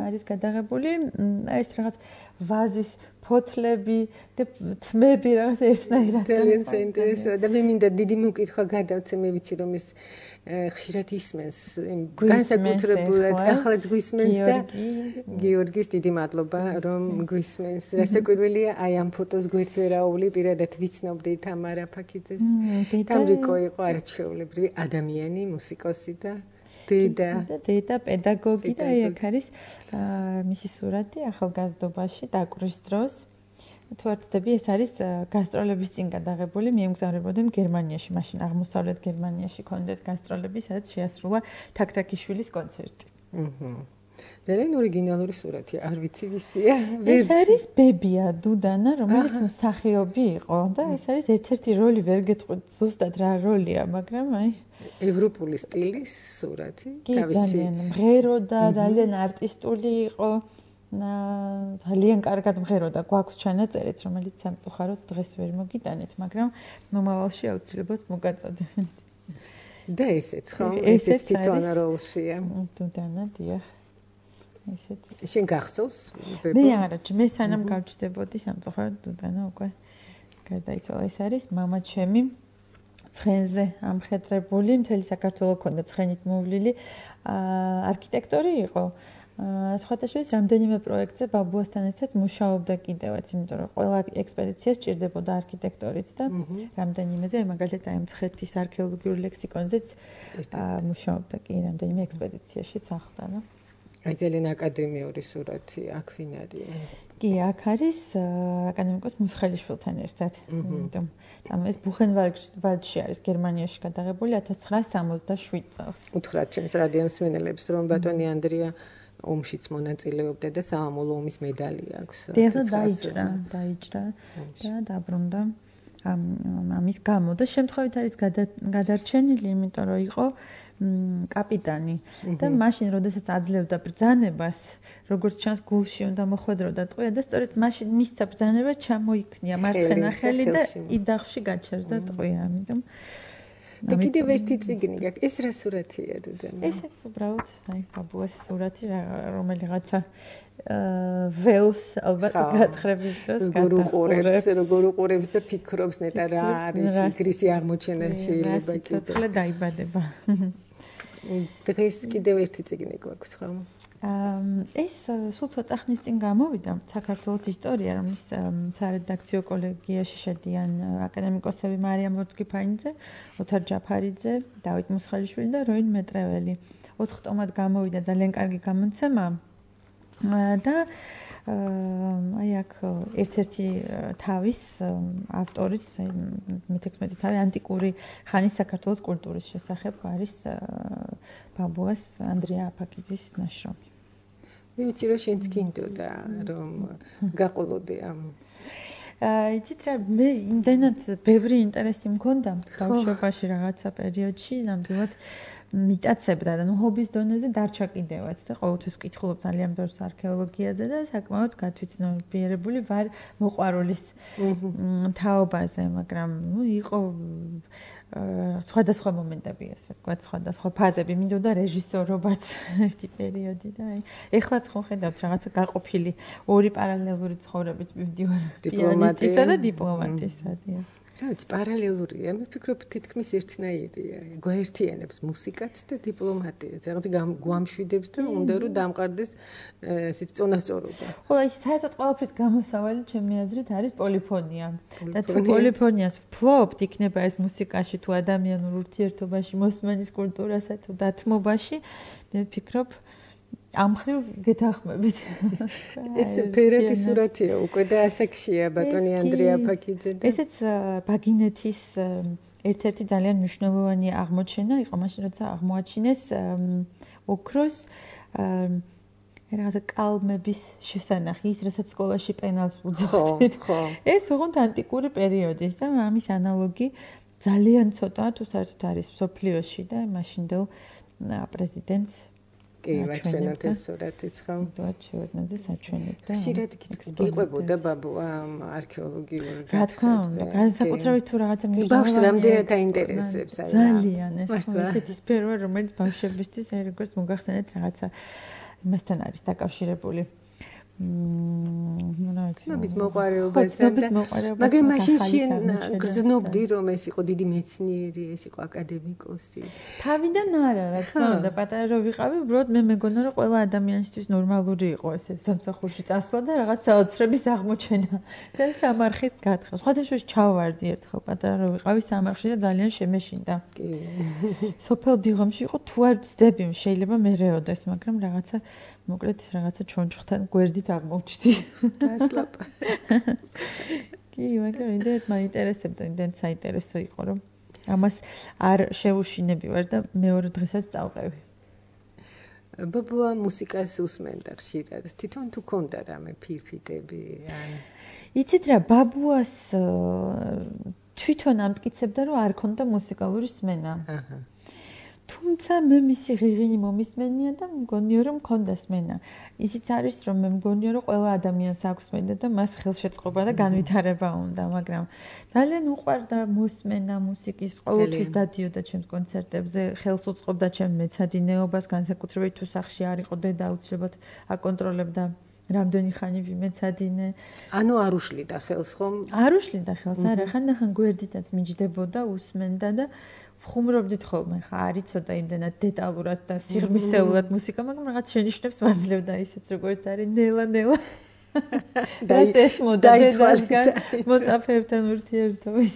არის გადაღებული. ეს რაღაც ვაზის ფოთლები და თმები რაღაც ერთნაირად. ძალიან საინტერესოა და მე მინდა დიდი მოკითხვა გადავცე, მე ვიცი რომ ეს ხშირად ისმენს განსაკუთრებულად ახლაც გვისმენს და გიორგის დიდი მადლობა რომ გვისმენს. რასაკვირველია აი ამ ფოტოს გვერდს ვერაული პირადად ვიცნობდი თამარა ფაქიძეს. თამრიკო იყო არაჩვეულებრივი ადამიანი, მუსიკოსი და დედა პედაგოგი და აი აქ არის მისი სურათი ახალგაზრდობაში დაკვრის დროს. თუ არ ვცდები, ეს არის გასტროლების წინ გადაღებული, მიემგზავრებოდნენ გერმანიაში, მაშინ აღმოსავლეთ გერმანიაში ქონდათ გასტროლები, სადაც შეასრულა თაქთაქიშვილის კონცერტი. ძალიან ორიგინალური სურათია, არ ვიცი ვისია. ეს არის ბებია დუდანა, რომელიც მსახიობი იყო და ეს არის ერთ-ერთი როლი, ვერ გეტყვით ზუსტად რა როლია, მაგრამ აი ევროპული სტილის სურათი, თავისი მღერო და ძალიან არტისტული იყო. ძალიან კარგად მღეროდა, გვაქვს ჩანაწერიც, რომელიც სამწუხაროდ დღეს ვერ მოგიტანეთ, მაგრამ მომავალში აუცილებლად მოგაწოდებთ. და ესეც ხო? ესეც თვითონ როლშია. დუდანა, დიახ. ესეც. შენ გახსოვს? მე არა, მე სანამ გავჩნდებოდი სამწუხაროდ დუდანა უკვე გარდაიცვალა. ეს არის მამა ჩემი ცხენზე ამხედრებული, მთელი საქართველო ქონდა ცხენით მოვლილი, არქიტექტორი იყო. სხვათაშორის რამდენიმე პროექტზე ბაბუასთან ერთად მუშაობდა კიდევაც, იმიტომ რომ ყველა ექსპედიციას ჭირდებოდა არქიტექტორიც და რამდენიმეზე, მაგალითად აი მცხეთის არქეოლოგიურ ლექსიკონზეც მუშაობდა კი რამდენიმე ექსპედიციაშიც ახდანა. აი ძალიან აკადემიური სურათი აქ ვინ არის? კი, აქ არის აკადემიკოს მუსხელიშვილთან ერთად. იმიტომ ეს ბუხენვალდში არის გერმანიაში გადაღებული 1967 წელს. უთხრათ ჩვენს რადიო მსმენელებს რომ ბატონი ანდრია ომშიც მონაწილეობდა და სამამულო ომის მედალი აქვს. დაიჭრა და დაბრუნდა ამის გამო და შემთხვევით არის გადარჩენილი, იმიტომ რომ იყო კაპიტანი და მაშინ როდესაც აძლევდა ბრძანებას, როგორც ჩანს გულში უნდა მოხვედროდა ტყვია და სწორედ მაშინ მისცა ბრძანება ჩამოიქნია მარცხენა ხელი და იდახში გაჩერდა ტყვია, ამიტომ და კიდევ ერთი წიგნი გაქვს. ეს რა სურათია დუდანა? ესეც უბრალოდ აი ბაბუას სურათი, რომელიღაცა ველს ალბათ გათხრების დროს როგორ უყურებს და ფიქრობს ნეტა რა არის იგრისი აღმოჩენა შეიძლება კიდე. ცოცხლე დაიბადება. დღეს კიდევ ერთი წიგნი გვაქვს ხო? ეს სულ ცოტა ხნის წინ გამოვიდა საქართველოს ისტორია, რომლის სარედაქციო კოლეგიაში შედიან აკადემიკოსები მარიამ ლორთქიფანიძე, ოთარ ჯაფარიძე, დავით მუსხელიშვილი და როინ მეტრეველი. 4 ტომად გამოვიდა, ძალიან კარგი გამოცემა და აი აქ ერთ-ერთი თავის ავტორიც, მე-16 თავი ანტიკური ხანის საქართველოს კულტურის შესახებ არის ბაბუას ანდრია აფაკიძის ნაშრომი. მე ვიცი რომ შენც გინდოდა რომ გაყოლოდე ამ იცით რა, მე იმდენად ბევრი ინტერესი მქონდა ბავშვობაში რაღაცა პერიოდში, ნამდვილად მიტაცებდა და ჰობის დონეზე დარჩა კიდევაც და ყოველთვის ვკითხულობ ძალიან ბევრს არქეოლოგიაზე და საკმაოდ გათვითცნობიერებული ვარ მოყვარულის თაობაზე, მაგრამ იყო სხვადასხვა მომენტები, ასე ვთქვათ, სხვადასხვა ფაზები, მინდოდა რეჟისორობაც ერთი პერიოდი და აი ეხლაც ხო ხედავთ რაღაცა გაყოფილი ორი პარალელური ცხოვრებით მივდივარ პიანისტისა და დიპლომატისა. რა ვიცი, პარალელურია, მე ვფიქრობ თითქმის ერთნაირია. გვაერთიანებს მუსიკაც და დიპლომატიაც. რაღაც გვამშვიდებს და უნდა რომ დამყარდეს ესეთ წონასწორობა. ხო, აი საერთოდ ყველაფრის გამოსავალი ჩემი აზრით არის პოლიფონია. და თუ პოლიფონიას ვფლობთ, იქნება ეს მუსიკაში თუ ადამიანურ ურთიერთობაში, მოსმენის კულტურასა თუ დათმობაში, მე ვფიქრობ ამ ხრივ გეთახმებით. ეს ფერეთი სურათია უკვე და ასაკშია ბატონი ანდრია აფაკიძე. ესეც ბაგინეთის ერთ-ერთი ძალიან მნიშვნელოვანი აღმოჩენა იყო მაშინ, როცა აღმოაჩინეს ოქროს რაღაცა კალმების შესანახი, ის რასაც სკოლაში პენალს უძღვით. ეს ოღონდ ანტიკური პერიოდის და ამის ანალოგი ძალიან ცოტა თუ საერთოდ არის მსოფლიოში და მაშინდელ პრეზიდენტს კი, ვაჩვენოთ ეს სურათიც ხო? ვიდეოად შევექმნაზე საჩვენებდა. ხშირად გიყვებოდა ბაბუა არქეოლოგიურ რა თქმა უნდა, განსაკუთრებით თუ რაღაცა მნიშვნელოვანი. ბავშვს რამდენად აინტერესებს აი. ძალიან ეს ესეთი სფერო, რომელიც ბავშვებისთვის აი როგორც მოგახსენეთ რაღაცა იმასთან არის დაკავშირებული. ცნობის მოყვარეობასთან და მაგრამ მაშინ შენ გრძნობდი რომ ეს იყო დიდი მეცნიერი, ეს იყო აკადემიკოსი. თავიდან არა, რა თქმა უნდა, პატარა რო ვიყავი, უბრალოდ მე მეგონა რომ ყველა ადამიანისთვის ნორმალური იყო ესე სამსახურში წასვლა და რაღაც საოცრების აღმოჩენა და სამარხის გათხა. სხვადასხვა ჩავარდი ერთხელ პატარა რო ვიყავი სამარხში და ძალიან შემეშინდა. კი. სოფელ დიღომში იყო თუ არ ვწდები, შეიძლება მერეოდეს, მაგრამ რაღაცა მოკლედ რაღაცა ჩონჩხთან გვერდით აღმოჩნდი. დასლაპა. კი, მაგრამ იმდენად მაინტერესებდა, იმდენად საინტერესო იყო, რომ ამას არ შეუშინები ვარ და მეორე დღესაც წავყევი. ბაბუა მუსიკას უსმენდა ხშირად. თვითონ თუ ქონდა რამე ფირფიტები ან იცით რა, ბაბუას თვითონ ამტკიცებდა, რომ არ ქონდა მუსიკალური სმენა. აჰა. თუმცა მე მისი ღიღინი მომისმენია და მგონია რომ მქონდა სმენა. ისიც არის რომ მე მგონია რომ ყველა ადამიანს აქვს სმენა და მას ხელშეწყობა და განვითარება უნდა, მაგრამ ძალიან უყვარდა მოსმენა მუსიკის, ყოველთვის დადიოდა ჩემს კონცერტებზე, ხელს უწყობდა ჩემ მეცადინეობას, განსაკუთრებით თუ სახში არ იყო დედა აუცილებლად აკონტროლებდა რამდენი ხანი ვიმეცადინე. ანუ არ უშლიდა ხელს ხომ? არ უშლიდა ხელს, არა, ხანდახან გვერდითაც მიჯდებოდა, უსმენდა და ვხუმრობდით ხოლმე, ხა არის ცოტა იმდენად დეტალურად და სიღრმისეულად მუსიკა, მაგრამ რაღაც შენიშვნებს მაძლევდა ისიც როგორც არის ნელა. და ეს მოდადასგან მოწაფეებთან ურთიერთობის.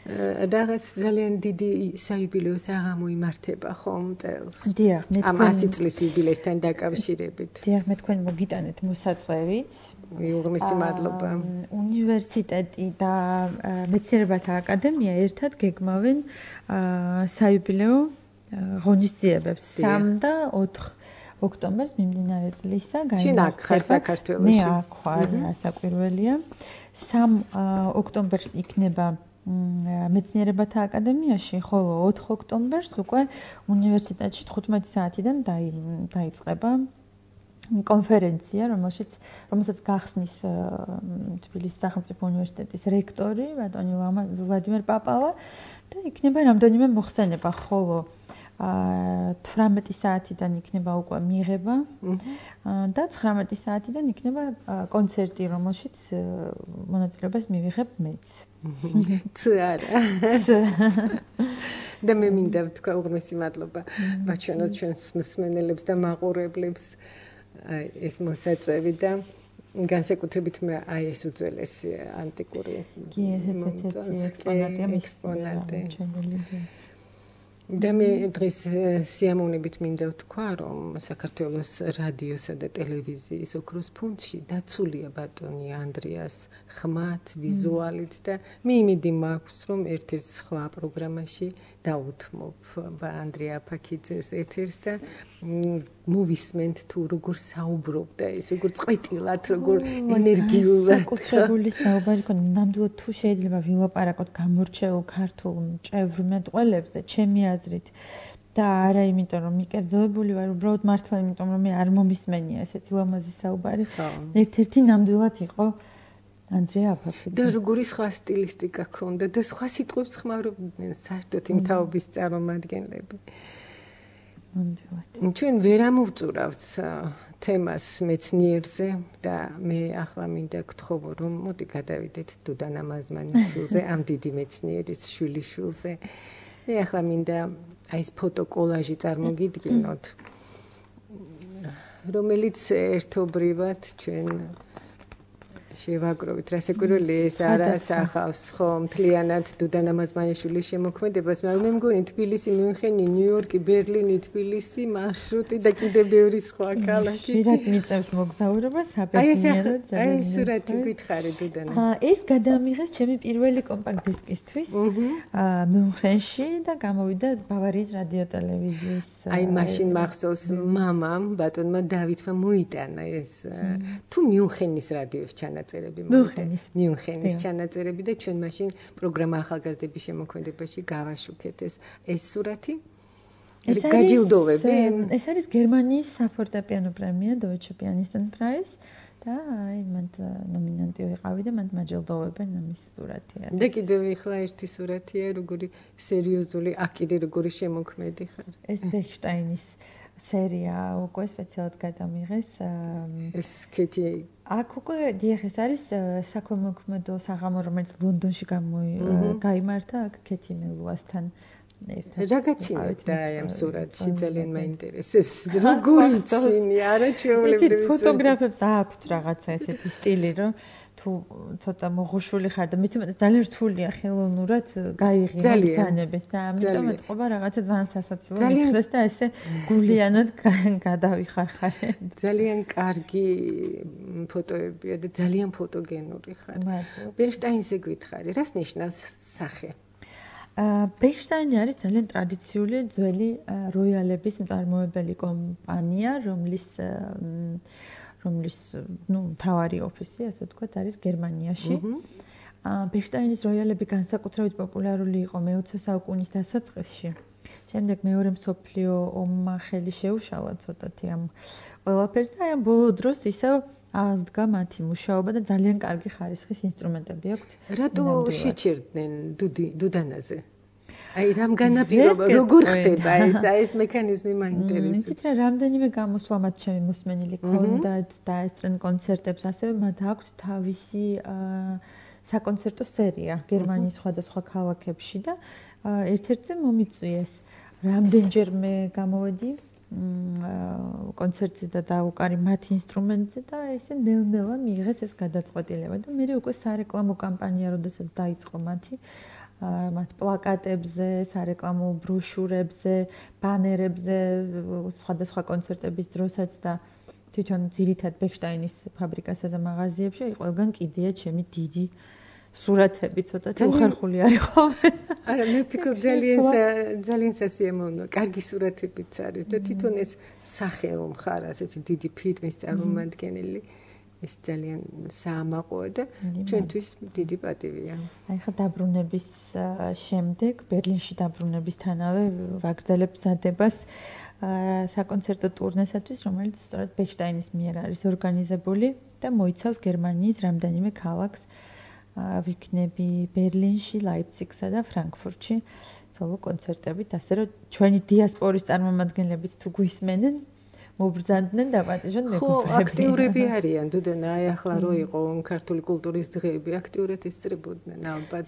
რაღაც ძალიან დიდი საიუბილეო საღამო იმართება ხომ წელს? დიახ, მე ამ 100 წლის იუბილეისთან დაკავშირებით. დიახ, მე თქვენ მოგიტანეთ მოსაწვევით. უღრმესი მადლობა. უნივერსიტეტი და მეცნიერებათა აკადემია ერთად გეგმავენ საიუბილეო ღონისძიებებს 3 და 4 ოქტომბერს მიმდინარე წლისა საქართველოში. მე აქ ვარ, ასაკვირველია. 3 ოქტომბერს იქნება მეცნიერებათა აკადემიაში, ხოლო 4 ოქტომბერს უკვე უნივერსიტეტში 15 საათიდან დაიწყება კონფერენცია, რომელსაც გახსნის თბილისის სახელმწიფო უნივერსიტეტის რექტორი ბატონი ვლადიმერ პაპავა და იქნება რამდენიმე მოხსენება, ხოლო 18 საათიდან იქნება უკვე მიღება და 19 საათიდან იქნება კონცერტი, რომელშიც მონაწილეობას მივიღებ მეც. არა. და მე მინდა ვთქვა უღრმესი მადლობა ვაჩვენოთ ჩვენს მსმენელებს და მაყურებლებს ეს მოსაწვევი და განსაკუთრებით მე აი ეს უძველესი ანტიკური ექსპონატი. და მე დღეს სიამოვნებით მინდა ვთქვა, რომ საქართველოს რადიოსა და ტელევიზიის ოქროს ფუნდში დაცულია ბატონი ანდრიას ხმათ, ვიზუალით და მე იმედი მაქვს, რომ ერთ-ერთ სხვა პროგრამაში დაუთმობ ანდრია აფაქიძეს ეთერს და მოვისმენთ თუ როგორ საუბრობდა ის, როგორ წყვეტილად, როგორ ენერგიულად. საკუთრებული საუბარი ქონდა, ნამდვილად თუ შეიძლება ვილაპარაკოთ გამორჩეულ ქართულ მჭევრ მეტყველებზე, ჩემი აზრით და არა იმიტომ რომ მიკერძოებული ვარ, უბრალოდ მართლა იმიტომ რომ მე არ მომისმენია ესეთი ლამაზი საუბარი. ერთ-ერთი ნამდვილად იყო ანდრია აფაქიძე. და როგორი სხვა სტილისტიკა ქონდა და სხვა სიტყვებს ხმარობდნენ საერთოდ იმ თაობის წარმომადგენლები. ჩვენ ვერ ამოვწურავთ თემას მეცნიერზე და მე ახლა მინდა გთხოვო რომ მოდი გადავიდეთ დუდანა მაზმანიშვილზე, ამ დიდი მეცნიერის შვილიშვილზე. მე ახლა მინდა აი ეს ფოტოკოლაჟი წარმოგიდგინოთ, რომელიც ერთობრივად ჩვენ შევაგროვით, რასაკვირველია ეს არ ასახავს ხომ მთლიანად დუდანა მაზმანიშვილის შემოქმედებას, მაგრამ მე მგონი თბილისი, მიუნხენი, ნიუ-იორკი, ბერლინი, თბილისი, მარშრუტი და კიდევ ბევრი სხვა ქალაქი. ხშირად მიწევს მოგზაურობას საბედნიეროდ. აი ეს სურათი გითხარი დუდანა. ეს გადამიღეს ჩემი პირველი კომპაქტ დისკისთვის მიუნხენში და გამოვიდა ბავარიის რადიო ტელევიზიის. აი მაშინ მახსოვს მამამ ბატონმა დავითმა მოიტანა ეს თუ მიუნხენის რადიოს ჩანაწერები მიუნხენის ჩანაწერები და ჩვენ მაშინ პროგრამა ახალგაზრდების შემოქმედებაში გავაშუქეთ ეს სურათი გაჯილდოვები? ეს არის გერმანიის საფორტეპიანო პრემია Deutsche Pianistenpreis და აი მან ნომინანტი ვიყავი და მან მაჯილდოვებენ ამის სურათია. და კიდევ ეხლა ერთი სურათია, როგორი სერიოზული, აქ როგორი შემოქმედი ხარ. ეს ბეხშტაინის სერია უკვე სპეციალურად გადამიღეს. ეს კეთი აქ უკვე დიახ ეს არის საქველმოქმედო საღამო, რომელიც ლონდონში გაიმართა აქ კეთი მელუასთან ერთად. რა გაცინებდა ამ სურათში ძალიან მაინტერესებს. როგორი ცინი, არა ჩვეულებრივი. ფოტოგრაფებს აქვთ რაღაცა ესეთი სტილი, რომ თუ ცოტა მოღუშული ხარ და მithumetes ძალიან რთულია ხელოვნურად გაიღია ბრძანებით და ამიტომ ეთყობა რაღაცა ძალიან სასაცილო მითხრეს და ესე გულიანად გადავიხარხარე. ძალიან კარგი ფოტოებია და ძალიან ფოტოგენური ხარ. ბერშტაინზე გითხარი, რას ნიშნავს სახე? ბეხშტაინი არის ძალიან ტრადიციული ძველი როიალების მწარმოებელი კომპანია, რომლის მთავარი ოფისი, ასე ვთქვათ, არის გერმანიაში. ბეხშტაინის როიალები განსაკუთრებით პოპულარული იყო მე-20 საუკუნის დასაწყისში. შემდეგ მეორე მსოფლიო ომმა ხელი შეუშალა ცოტათი ამ ყველაფერს და ამ ბოლო დროს ისევ აღდგა მათი მუშაობა და ძალიან კარგი ხარისხის ინსტრუმენტები აქვთ. რატო შეჭერდნენ დუდანაზე? აი რამ განაპირობა, როგორ ხდება ეს მექანიზმი მაინტერესებს. იცით რა, რამდენიმე გამოსვლა მათ ჩემი მოსმენილი ქონდათ და ესწრენ კონცერტებს, ასევე მათ აქვთ თავისი საკონცერტო სერია გერმანიის სხვადასხვა ქალაქებში და ერთ-ერთზე მომიწვიეს. რამდენჯერმე გამოვედი კონცერტზე და დაუკარი მათ ინსტრუმენტზე და ესე ნელ-ნელა მიიღეს ეს გადაწყვეტილება და მე უკვე სარეკლამო კამპანია, როდესაც დაიწყო მათ პლაკატებზე, სარეკლამო ბროშურებზე, ბანერებზე, სხვადასხვა კონცერტების დროსაც და თვითონ ძირითად ბეხშტაინის ფაბრიკასა და მაღაზიებში ყველგან კიდია ჩემი დიდი სურათები, ცოტათი უხერხული არის ხოლმე. არა, მე ვფიქრობ ძალიან სასიამოვნო, კარგი სურათებიც არის და თვითონ ეს სახე რომ ხარ, ასეთი დიდი ფირმის წარმომადგენელი, ეს ძალიან საამაყოა და ჩვენთვის დიდი პატივია. აი ხა დაბრუნების შემდეგ, ბერლინში დაბრუნებისთანავე ვაგრძელებ მზადებას საკონცერტო ტურნესათვის, რომელიც სწორედ ბეხშტაინის მიერ არის ორგანიზებული და მოიცავს გერმანიის რამდენიმე ქალაქს. ვიქნები ბერლინში, ლაიფციგსა და ფრანკფურტში სოლო კონცერტებით, ასე რომ ჩვენი დიასპორის წარმომადგენლებიც თუ გვისმენენ, მობრძანდნენ და პატიჟონ მეგობრები. ხო, აქტიურები არიან, დუდანა, აი ახლა რო იყო ქართული კულტურის დღეები, აქტიურად ესწრებოდნენ ალბათ.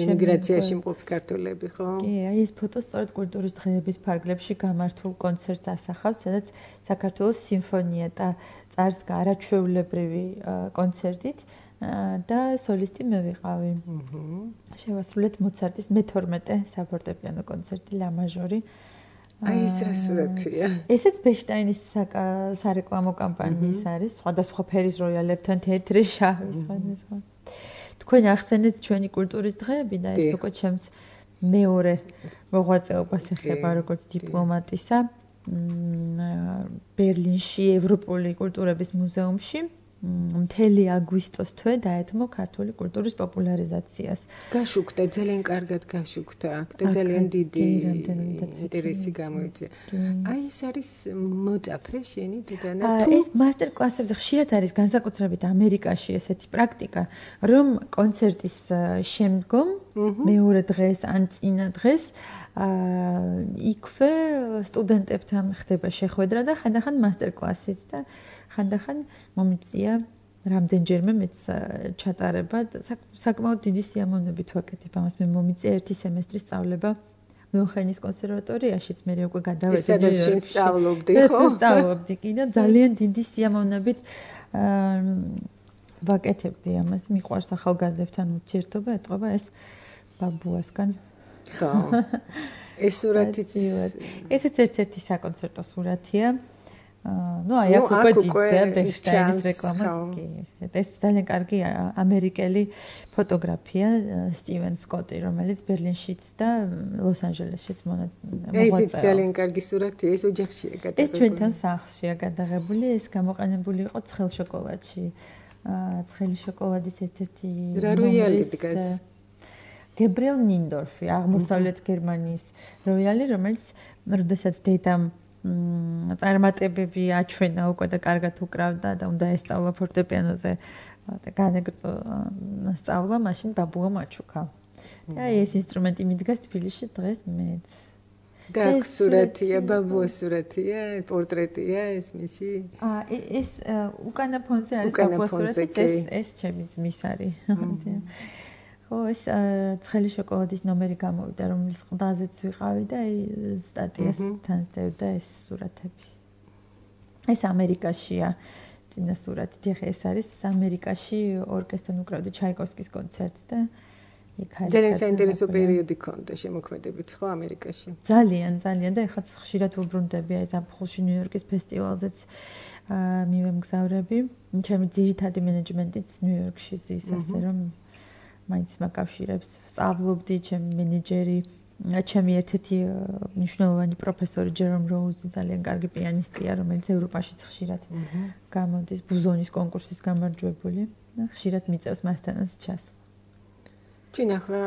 ემიგრაციაში მყოფი ქართველები, ხო? კი, აი ეს ფოტო სწორედ კულტურის დღეების ფარგლებში გამართულ კონცერტს ასახავს, სადაც საქართველოს სიმფონია და წარსდგა არაჩვეულებრივი კონცერტით. და სოლისტი მე ვიყავი. შევასრულეთ მოცარტის მე-12 საფორტეპიანო კონცერტი ლა მაჟორი. აი ეს რა სურათია. ესეც ბეხშტაინის სარეკლამო კამპანიის არის, სხვადასხვა ფერის როიალებთან თეთრი, შავი, სხვადასხვა. თქვენ ახსენეთ ჩვენი კულტურის დღეები და ეს უკვე ჩემს მეორე მოღვაწეობას ეხება როგორც დიპლომატისა. ბერლინში ევროპული კულტურების მუზეუმში მთელი აგვისტოს თვე დაეთმო ქართული კულტურის პოპულარიზაციას. გაშუქდა, ძალიან კარგად გაშუქდა და ძალიან დიდი ინტერესი გამოიწვია. აი ეს არის მოწაფე შენი დედანა თუ ეს მასტერ-კლასებზე ხშირად არის განსაკუთრებით ამერიკაში ესეთი პრაქტიკა, რომ კონცერტის შემდგომ მეორე დღეს ან წინა დღეს იქვე სტუდენტებთან ხდება შეხვედრა და ხანდახან მასტერ-კლასიც და ხანდახან მომიწია რამდენჯერმე მეც ჩატარება საკმაოდ დიდი სიამოვნებით ვაკეთებ ამას მე მომიწია ერთი სემესტრის სწავლება მიუნხენის კონსერვატორიაშიც მე უკვე გადავედი სადაც შენ სწავლობდი ხო სწავლობდი კი და ძალიან დიდი სიამოვნებით ვაკეთებდი ამას მიყვარს ახალგაზრდებთან ურთიერთობა ეტყობა ეს ბაბუასგან ხო ეს სურათიც ესეც ერთ-ერთი საკონცერტო სურათია ну, აი აქ უკვე ძიძა ბეხშტაინის რეკლამა. კი. ეს ძალიან კარგი ამერიკელი ფოტოგრაფია სტივენ სკოტი, რომელიც ბერლინშიც და ლოს-ანჯელესშიც მოღვაწეობს. ეს ძალიან კარგი სურათია, ეს ოჯახშია გადაღებული. ეს ჩვენთან სახლშია გადაღებული, ეს გამოყენებული იყო ცხელ შოკოლადში. ცხელი შოკოლადის ერთ-ერთი რა როიალი დგას? გებრიელ ნინდორფი, აღმოსავლეთ გერმანიის როიალი, რომელიც როდესაც დედამ წარმატებები აჩვენა უკვე და კარგად უკრავდა და უნდა ესწავლა ფორტეპიანოზე და განეგრძო სწავლა, მაშინ ბაბუამ აჩუქა. და ეს ინსტრუმენტი მიდგას თბილისში დღეს მეც. და აქ სურათია, ბაბუას სურათია, პორტრეტია ეს მისი? ეს უკანა ფონზე არის ბაბუას სურათი, ეს ჩემი ძმის არის. ხო, ეს ცხელი შოკოლადის ნომერი გამოვიდა, რომლის ყდაზეც ვიყავი და სტატიას თან სდევდა ეს სურათები. ეს ამერიკაშია წინა სურათი. დიახ, ეს არის ამერიკაში ორკესტრთან უკრავდა ჩაიკოვსკის კონცერტს და ძალიან საინტერესო პერიოდი ქონდა შემოქმედებით ხო ამერიკაში. ძალიან და ეხლა ხშირად ვუბრუნდები აი ზაფხულში ნიუ-იორკის ფესტივალზეც მივემგზავრები. ჩემი ძირითადი მენეჯმენტიც ნიუ-იორკში ზის, ასე რომ მაინც მაკავშირებს. სწავლობდი, ჩემი მენეჯერი, ჩემი ერთ-ერთი მნიშვნელოვანი პროფესორი ჯერომ როუზი ძალიან კარგი პიანისტია, რომელიც ევროპაშიც ხშირად გამოდის ბუზონის კონკურსის გამარჯვებული. ხშირად მიწევს მასთანაც ჩასვლა. ჩვენ ახლა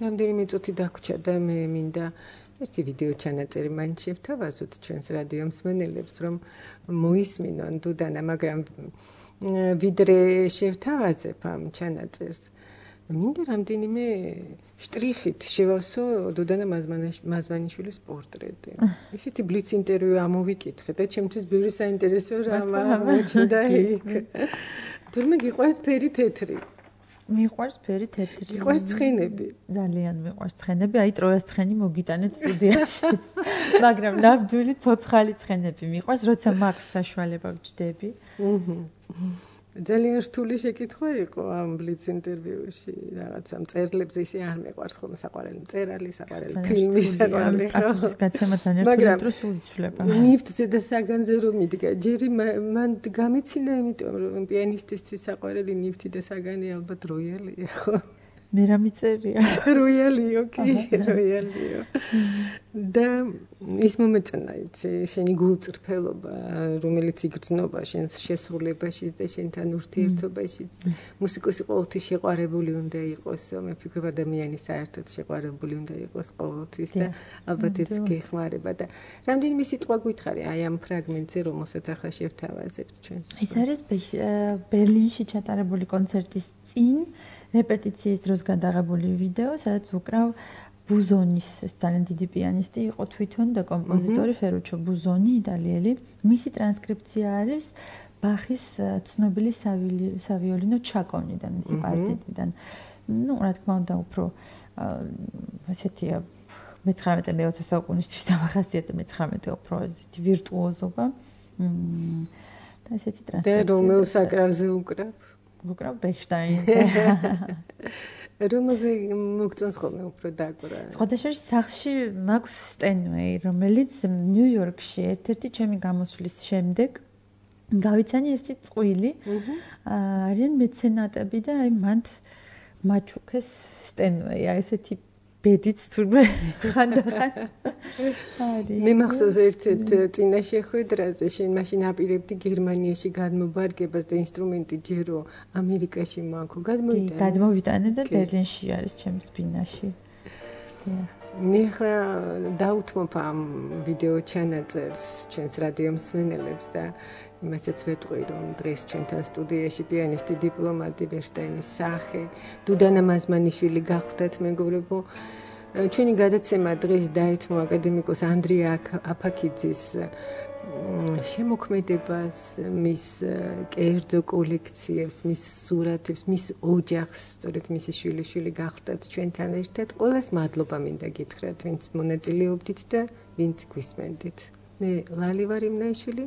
რამდენიმე წუთი დაგვრჩა და მე მინდა ერთი ვიდეო ჩანაწერი მაინც შევთავაზოთ ჩვენს რადიო მსმენელებს, რომ მოისმინონ დუდანა, მაგრამ ვიდრე შევთავაზებ ამ ჩანაწერს, მინდა რამდენიმე შტრიხით შევავსო დუდანა მაზმანიშვილის პორტრეტი. ისეთი ბლიც ინტერვიუ ამოვიკითხე და ჩემთვის ბევრი საინტერესო რამ აღმოჩნდა იქ. თურმე გიყვარს ფერი თეთრი? მიყვარს ფერი თეთრი. მიყვარს ცხენები. ძალიან მიყვარს ცხენები. აი ტროიას ცხენი მოგიტანეთ სტუდიაში. მაგრამ ნამდვილი ცოცხალი ცხენები მიყვარს, როცა მაქვს საშუალება ვჯდები. ძალიან რთული შეკითხვა იყო ამ ბლიც ინტერვიუში. რაღაცა მწერლებს ისე არ მეყვარს ხოლმე საყვარელი მწერალი, საყვარელი ფილმი, საყვარელი პასუხის გაცემა ძალიან რთული დროს უიცვლება. ნიფტზე და საგანზე რომ მიდგა, ჯერი მან გამეცინა, იმიტომ რომ პიანისტისთვის საყვარელი ნიფტი და საგანი ალბათ როიალია, ხო? მე რა მიწერია? როიალიო, კი, როიალიო. და ის მომეწონა, იცი, შენი გულწრფელობა, რომელიც იგრძნობა შენს შესრულებაში და შენთან ურთიერთობაში. მუსიკოსი ყოველთვის შეყვარებული უნდა იყოს, მე ვფიქრობ, ადამიანი საერთოდ შეყვარებული უნდა იყოს ყოველთვის და ალბათ ეს გეხმარება და რამდენიმე სიტყვა გითხარი აი ამ ფრაგმენტზე, რომელსაც ახლა შევთავაზებთ ჩვენს. ეს არის ბერლინში ჩატარებული კონცერტის წინ რეპეტიციის დროს გადაღებული ვიდეო, სადაც უკრავ ბუზონის, ძალიან დიდი პიანისტი იყო თვითონ და კომპოზიტორი ფერუჩო ბუზონი, იტალიელი. მისი ტრანსკრიფცია არის ბახის ცნობილი სავიოლინო ჩაკონიდან, მისი პარტიტიდან. ნუ, რა თქმა უნდა, უფრო ასეთია მე-19 საუკუნისთვის დამახასიათებელ მე-19 უფრო ასეთი ვირტუოზობა. და ასეთი ტრანსკრიფცია. და რომელ საკრავზე უკრავ? უკრავ ბექშტაინს. რომელზე მოგწონს ხოლმე უფრო დაკვრა. სხვადასხვა სახლში მაქვს სტენვეი, რომელიც ნიუ-იორკში ერთ-ერთი ჩემი გამოსვლის შემდეგ გავიცანი ერთი წყვილი. არიან მეცენატები და აი მანდ მაჩუქეს სტენვეი, აი ესეთი ბედიც თურმე ხანდახან არის. მე მახსოვს ერთ-ერთ წინა შეხვედრაზე შენ მაშინ აპირებდი გერმანიაში გადმობარგებას და ინსტრუმენტი ჯერო ამერიკაში მაქვს. გადმოვიტანე და ბერლინში არის ჩემს ბინაში. მე ხა დაუთმობ ამ ვიდეო ჩანაწერს ჩვენს რადიო მსმენელებს და იმასაც ვეტყვი, რომ დღეს ჩვენთან სტუდიაში პიანისტი დიპლომატი ბერშტაინის სახე დუდანა მაზმანიშვილი გახდათ, მეგობრებო. ჩვენი გადაცემა დღეს დაეთმო აკადემიკოს ანდრია აფაქიძის შემოქმედებას, მის კერძო კოლექციებს, მის სურათებს, მის ოჯახს, სწორედ მისი შვილიშვილი გახდათ ჩვენთან ერთად. ყველას მადლობა მინდა გითხრათ, ვინც მონაწილეობდით და ვინც გვისმენდით. მე ლალი ვარ იმნაიშვილი.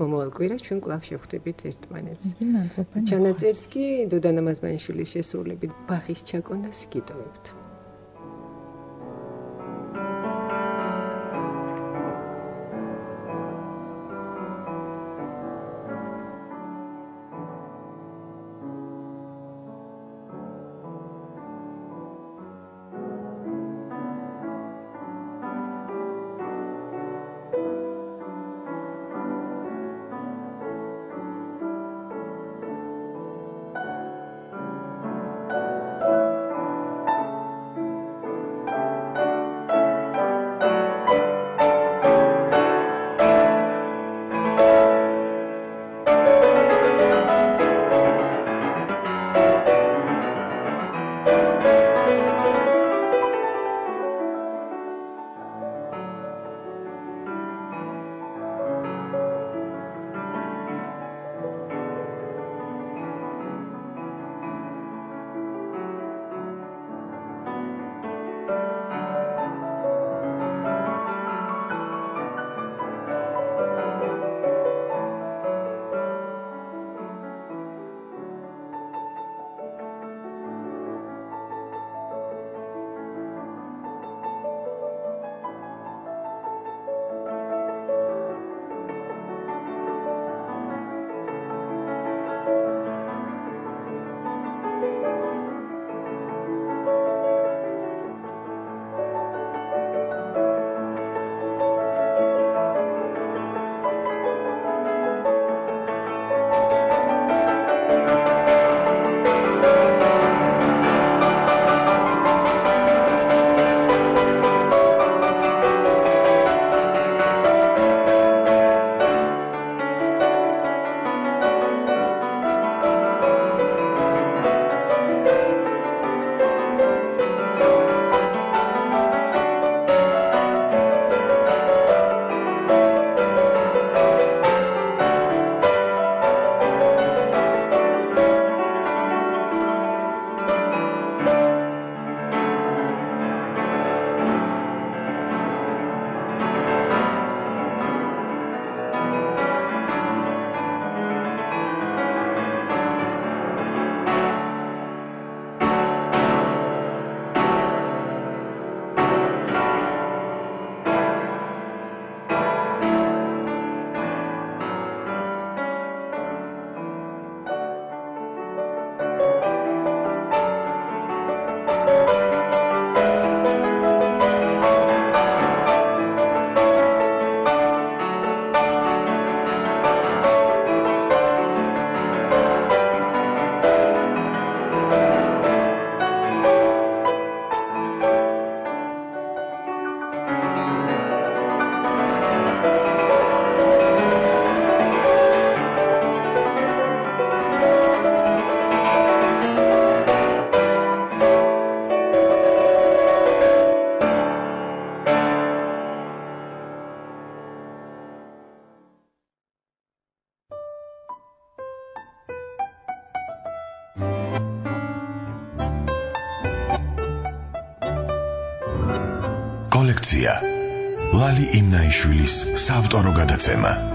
მომავალ კვირას ჩვენ კვლავ შევხვდებით ერთმანეთს. ჩანაწერს კი დუდანა მაზმანიშვილის შესრულებით ბახის ჩაკონას გიტოვებთ. კოლექცია ლალი იმნაიშვილის საავტორო გადაცემა.